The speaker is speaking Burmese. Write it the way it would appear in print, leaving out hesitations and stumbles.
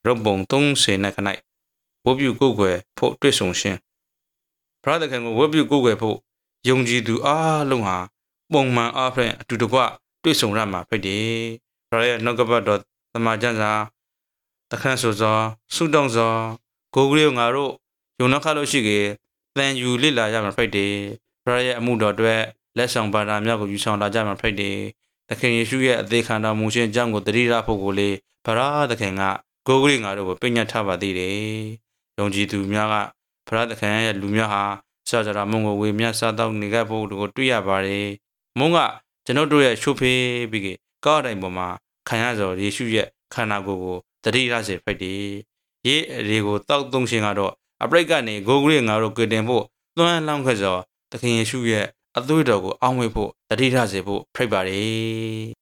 ရုပ်ပုံ30နဲ့ခ၌ဝတ်ပြုကိုယ်ွယ်ဖို့တွေ့ဆုံခြင်းဖရာသခင်ကိုဝတ်ပြုကိုယ်ွယ်ဖို့ယုံကြည်သူအားလုံးဟာပုံမှန်အားဖြင့်အတူတကွတွေ့ဆုံရမှာဖြစ်တယ်ဖရာရဲ့နှုတ်ကပတ်တော်သမာကျမ်းစာတခန့်ဆိုသောဆုတောင်းသောကိုယ်ကလေးငါတို့ယုံနှခါလို့ရှိကေတန်ယူလိလာရမှာဖြစ်တယ်ဖရာရဲ့အမှုတော်အတွက်လက်ဆောင်ပါတာများကိုယူဆောင်လာကြမှာဖြစ်တယ်သခင်ယေရှုရဲ့အသေးခံတော်မူခြင်းအကြောင်းကိုတတိယဖို့ကိုလေဖရာသခင်ကကိုယ်ကလေးငါတို့ကိုပြညတ်ထားပါသေးတယ်ယုံကြည်သူများကဖရာသခင်ရဲ့လူများဟာစာကြရာမုံကိုဝေမျှစားတော့နေခဲ့ဖို့ကိုတွေ့ရပါတယ်မုံကကျွန်တော်တို့ရဲ့ရှုဖေးပြီးကောက်တိုင်ပေါ်မှာခံရသောယေရှုရဲ့ခန္ဓာကိုယ်ကိုတတိယစေဖြစ်တယ်ရေးအရေကိုတောက်သုံးခြင်းကတော့အပရိတ်ကနေကိုယ်ကလေးငါတို့ကြွတင်ဖို့သွမ်းလောင်းခဲ့သောသခင်ယေရှုရဲ့အသွေးတော်ကိုအောင်းဝေးဖို့တတိယစေဖို့ဖိတ်ပါတယ်